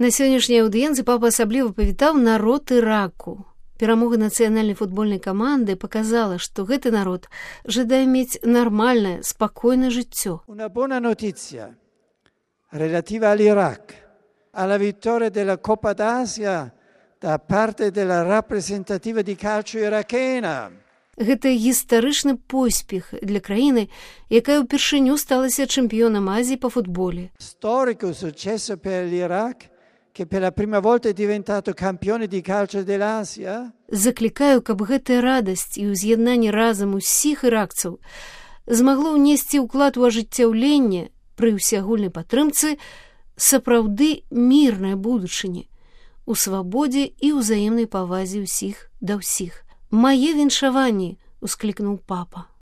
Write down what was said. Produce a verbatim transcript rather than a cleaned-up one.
На сённяшняй аўдыенцыі папа асабліва павітаў народ Іраку. Перамога нацыянальнай футбольнай каманды паказала, што гэты народ жадае мець нармальнае, спакойнае жыццё. Una buona notizia relativa all'Iraq, alla vittoria della Coppa d'Asia da parte della rappresentativa di calcio irachena. Гэта гістарычны поспех для краіны, якая ўпершыню сталася чэмпіёнам Азіі па футболе. Storico successo per l'Iraq, che per la prima volta è diventato campione di calcio dell'Asia. Заклікаю, каб гэтая радасць і ўз'яднанне разам усіх іракцаў змагло ўнесці ўклад у ажыццяўленне пры ўсеагульнай падтрымцы сапраўды мірнай будучыні, у свабодзе і ўзаемнай павазе ўсіх да ўсіх. «Мае віншаванні!» — усклікнуў папа.